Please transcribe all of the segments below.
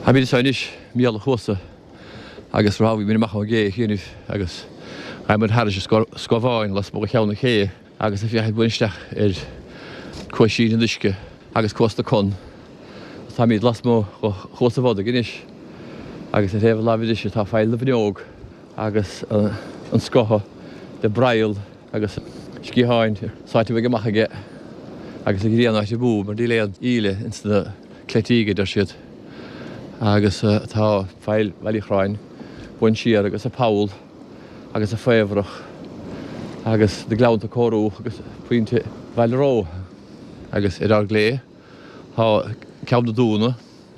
Táimid anseo anois i mBéal an Chuasa agus rámhaigh muid amach ón gcé a chianaibh agus ghabh muid thairis an Scoth Bháin lasmuigh de Cheann na Cé agus ag féachaint uainn isteach ar Cuaisín an Uisce agus Cuas na Con. Táimid lasmuigh de Chuas an Bhodaigh anois agus ar thaobh na láimhe deise tá Faill na bhFionnóg agus an Scoth le broigheall agus sciatháin sáite uaidh amach aige agus an ghrian á thriomú mar níl aon íle ins na cleitígh a deir siad. Agus tá Faill Bhaile Uí Chorráin uainn siar agus an poll agus an faobhrach agus na gleannta ag comharthú agus pointe Bhaile Ró agus ar ár gclé tá Ceann na Dúna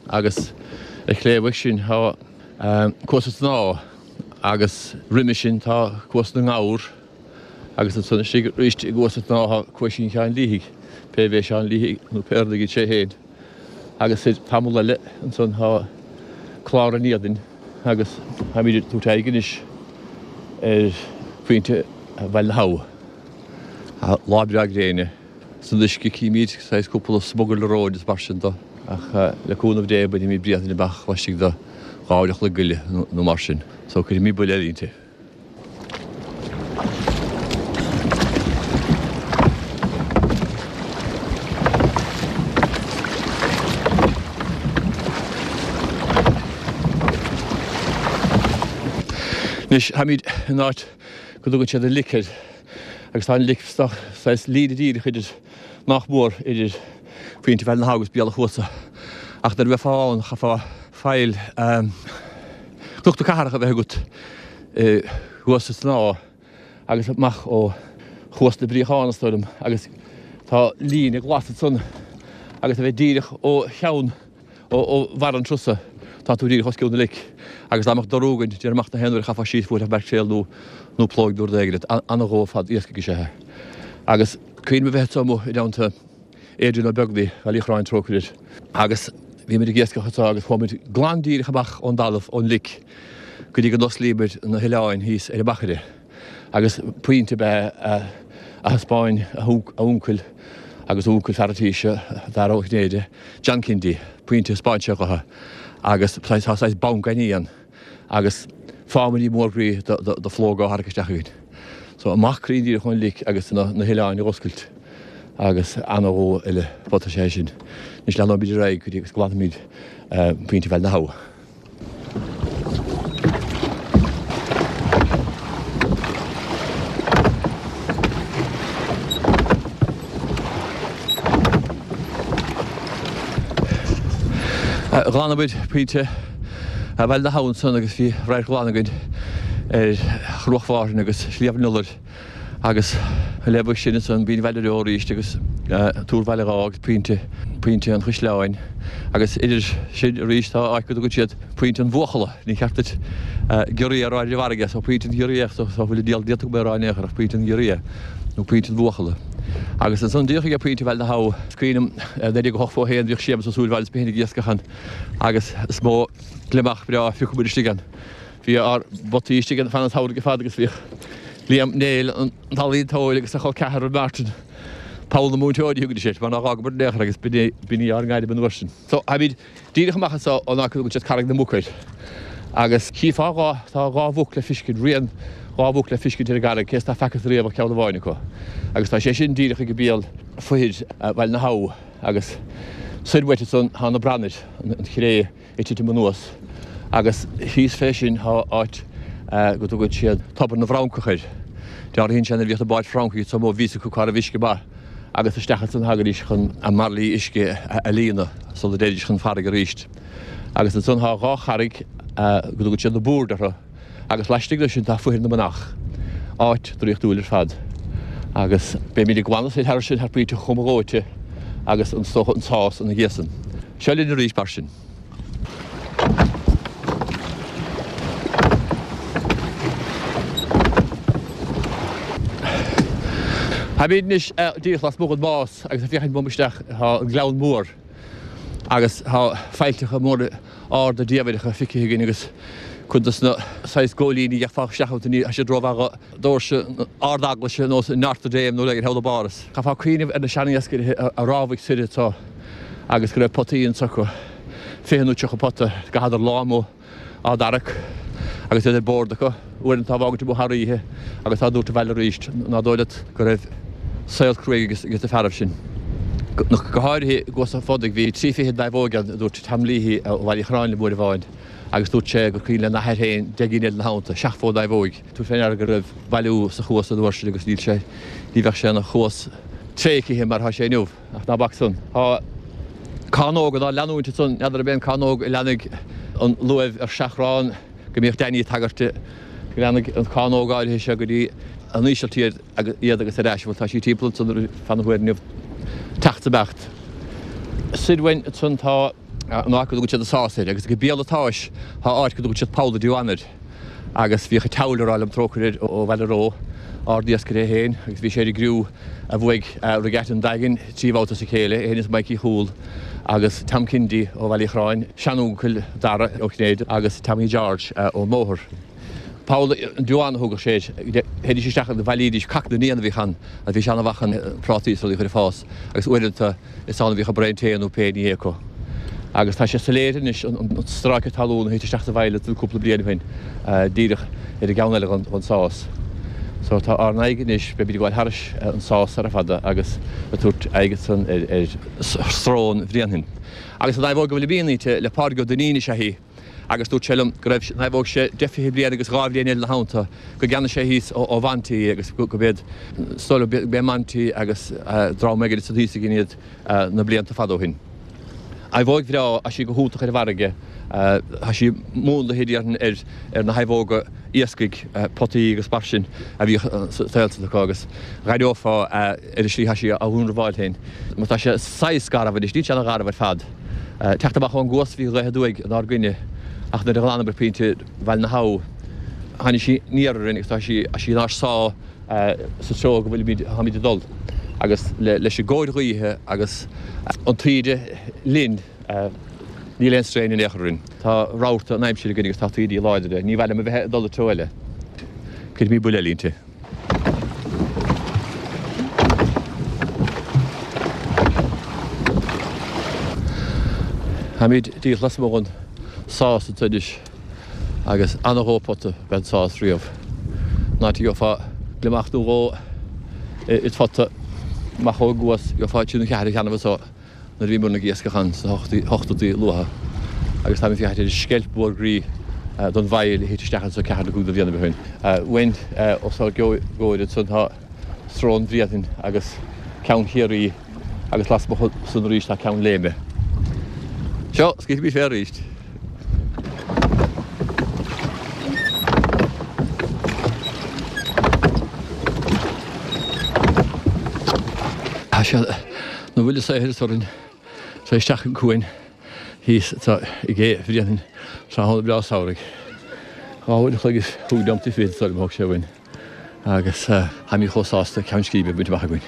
agus ar chlé uaidh sin tá Cuas an tSnámha agus roimhe sin tá Cuas na nGabhar agus ansan istigh arís i gCuas an tSnámha tá Cuaisín Sheáin Liathaigh, pé b'é Seán Liathaigh nó pé rud iad sé féin. Agus soir tamall eile ansan tá Clár an Éadain agus táimid ag tabhairt aghaidh anois ar phointe Bhaile na hAbha. Lá breá gréine. San uisce címid saghas cúpla smugairle róin is mar sin de ach le cúnamh Dé bainfimid Bréanainn amach laistigh de 2 uair a chloig go leith nó mar sin so cuirfimid buille eile inti. Anois táimid in áit go dtugann siad an lic air. Agus tá an lic saghas líne díreach idir, nach mór, idir Pointe Bhaile na hAbha agus Béal an Chuasa. Ach nuair a bheifeá ann, chaithfeá faill Chnoc na Cathrach a bheith agat i gCuas an tSnámha agus amach ó Chuas na bPríochán, is dóigh liom, agus tá líne glas ansan agus a bheith díreach ó cheann Ó bharr an trusa, tá tú díreach os cionn na lice, agus dá mbeadh dorú againn, déarfainn amach na haon uair a chaithfeá síos bhuailfeadh maicréal nó nó plóig nó rud éigin ort. Ana-dhomhan ar fad iascaigh is ea é. Agus cuimhním a bheith anseo amuigh i dteannta Adrian Ó Beaglaoich, Bhaile Uí Chorráin trócaire air, agus bhí muid ag iascach anseo agus chuaigh muid glan díreach amach ón dtalamh, ón lic, go dtí go n-osclaíomar na hoileáin thíos ar an machaire. Agus pointe ab ea a thaispeáin a uncail agus uncail fear an tí seo, Dara Ó Cinnéide, John Kindy, pointe a thaispeáin sé dhotha agus tá saghas banc gainimh ann agus fámairí mór groí de phlóg á tharrac isteach againn. So amach cruinn díreach ón lic agus na hoileáin a dh'oscailt agus ana-dhomhan eile pota is ea é sin. Anois leanóimid ar aghaidh go dtí agus glanfaimid pointe Bhaile na hAbha. Ghlanamar pointe Bhaile na hAbha ansan agus bhí radharc glan againn ar Chruach Mhárthain agus Sliabh an Iolair. Agus le bheith sin ansan Binn Bhaile Reo arís agus Túr Bhaile Dháith agus Pointe, Pointe an Chaisleáin agus idir sin arís tá áit go dtugann siad Pointe an Bhuachalla, ní ceart duit giorria a rá ar an bhfarraige so Pointe an Ghiorria so so bhfuil an diabhal déanta agam é a rá in aon chor ach Pointe an Ghiorria nó Pointe an Bhuachalla. Agus ansan díreach ag Pointe Bhaile na hAbha, is cuimhin liom 1981 bhíodh Séamus Ó Súilleabháin is mé féin ag iascach ann agus is mó gliomach breá a phioc muid istigh ann. Bhí ár bpotaí istigh ann fan an tsamhraidh ar fad agus bhíodh Liam Néill, an t-ealaíontóir, agus a chol ceathrar Martin, Poll na Múinteoirí a thugaidís air, mar nár fhágamar in aon chor agus b'in í ár ngairm an uair sin. So, táimid díreach amach anso ón áit go dtugann siad Carraig na Muc air agus chífeá dhá, tá dhá mhuc le fiscint, rian dhá mhuc le fiscint ar an gcarraig, cé is ná feacthas riamh ach ceann amháin acu. Agus tá sé sin díreach ag béal foithir Bhaile na hAbha agus soir uait ansan tá na branair, an chré, ag titim anuas agus thíos fé sin tá áit go dtugann siad Tobar na bhFrancach air. Dealraíonn sé nuair a bhíodh na báid Francaigh anso amuigh bhí a fhios acu cá raibh uisce maith agus isteach ansan a thagaidís chun a mbairillí uisce a líonadh sula dtéidís chun farraige arís. Agus ansan tá dhá charraig go dtugann siad na boird orthu agus laistigh de sin tá Foithir na Manach, áit draíochtúil ar fad. Agus beimid ag glanadh soir thar sin thar Pointe Chom an Ghóite agus an is dócha an Sás ina dhiaidh san. Seo linn arís mar sin. Táimid anois díreach lasmuigh den Más agus ag féachaint uaim isteach tá an Gleann Mór agus tá faillteacha móra arda diamhaireacha feicthe againn agus cuid dos na saghas góilíní a gheofá isteach iontu ní tá siad rómhaith do dhoirse Ard-Eaglaise ar nós Notre Dame nó rud éigin thall i bPáras. Chaithfeá cuimhneamh ar na sean-iascairí a rámhaigh soir anseo agus go raibh potaí anso acu. 20 nó 30 pota, gcaitheadar lá amuigh á dtarrac agus iad ar bord acu, uaireanta á bhfágaint amuigh thar oíche agus á dtabhairt abhaile arís. Ná dóigh leat go raibh saol cruaidh ages na fearaibh sin. Go háirithe i gCuas an Phodaigh bhí 23 naomhóig ann, a dúirt Tom Leahy ó Bhaile Uí Chorráin liom uair amháin agus dúirt sé gur cuimhin lena athair féin 10 gcinn eile ina theannta, 70 naomhóig. Tabhair fé ndeara go raibh bailiú sa chuas an uair sin agus níl sé, ní bheadh sé ina chuas tréigthe mar atá sé inniu. Ach ná bac san. Tá cánóg inár leanúint ansan, n'fheadar ab é an cánóg a leanfaidh an luaimh ar seachrán go mbíodh Danny ag tagairt di, go leanfaidh an cánóg áirithe seo go dtí an Ísiltír iad agus ar ais, bhuel tá sí timpeall ansan ar feadh na huaire inniu, teacht is imeacht. Soir uainn ansan tá an áit go dtugann siad an Sás air agus ag béal an tsáis tá áit go dtugann siad Poll an Diwan air. Agus bhíodh an tSeabhail ag rá liom trócaire air ó Bhaile Ró, ard-iascaire é féin, agus bhí sé ar an gcriú a bhuaigh Regatta an Daingin 3 bhabhta as a chéile, é féin is Mikey Chúil agus Tom Kennedy ó Bhaile Uí Chorráin, seanuncail Dara Ó Cinnéide agus Tommy George ón mBóthar. Poll an Diwan a thugadh sé air. Théidís isteach agus bhailídís cac na n-éan a bhíodh ann agus bhí sé an-mhaith chun prátaí is rudaí a chur ag fás agus uaireanta Is ann a bhíodh an braon tae nó pé ní acu. Agus tá sé soiléir anois an stráice talún a thit isteach sa bhfaill ansan cúpla bliain ó shin, díreach ar an gceann eile den sás. So tá ár n-aghaidh anois, beimid ag gabháil thairis an sás sara fada agus ag tabhairt aghaidh ansan ar Srón Bhréanainn. Agus an naomhóg a bhfuilim inti le Pádraig Ó Duinnín is ea í. agus dúirt sé liom go raibh naomhóg sé deich fiche bliain agus dhá bhliain eile ina theannta, go gceannaigh sé thíos ó Mhonty í agus go b'iad, is dóigh liom, b'é Monty agus dream éigin ansan thíos a dhein iad na blianta fada ó shin. Naomhóig bhreá, tá sí go hiontach ar an bhfarraige, tá sí múnlaithe déarfainn ar ar na naomhóga iascaigh, potaí agus mar sin a bhíodh sa saol san acu agus dh'aireofá ar an slí atá sí á dhúnrabháil féin. Mar tá sé saghas garbh anois, níl sé ana gharbh ar fad. Teacht amach ón gcuas bhí gaoth aduaidh inár gcoinne ach nuair a ghlanamar pointe Bhaile na hAbha tháinig sí aniar orainn agus tá sí sí inár sá sa treo go bhfuilimid táimid ag dul agus leis an gcóir ghaoithe agus an taoide linn níl aon strae in aon chor orainn. Tá rabharta an aimsir againn agus tá taoidí láidre. Ní mhaith liom a bheith ag dul an treo eile. Cuirfimid buille eile inti. Táimid díreach lasmuigh den sás anseo anois agus ana-dhó pota ab ea an sás riamh. An áit a gheofá gliomach nó dhó id phota amach ón gcuas, gheofá trí nó ceathair cheana anseo. nuair a bhíomar ag iascach ann sna hochtóidí luatha agus táim ag féachaint ar an sceilp mhór groí don bhfaill a thit isteach anso ceathair nó cúig de bhlianaibh ó shin. Uainn os ár gcomhair ansan tá Srón Bhréanainn agus Ceann Chiarraí agus lasmuigh san arís tá Ceann Léime. Seo, scaoilfimid fé arís. Tá sé ina bhuille saothair is orainn tar isteach an cuan thíos atá i gCé Bhréanainn tráthnóna breá samhraidh. Dhá uair an chloig is chúig neomataí fichead is dóigh liom a thóg sé uainn agus táimid chomh sásta ceann scríbe a bhaint amach againn.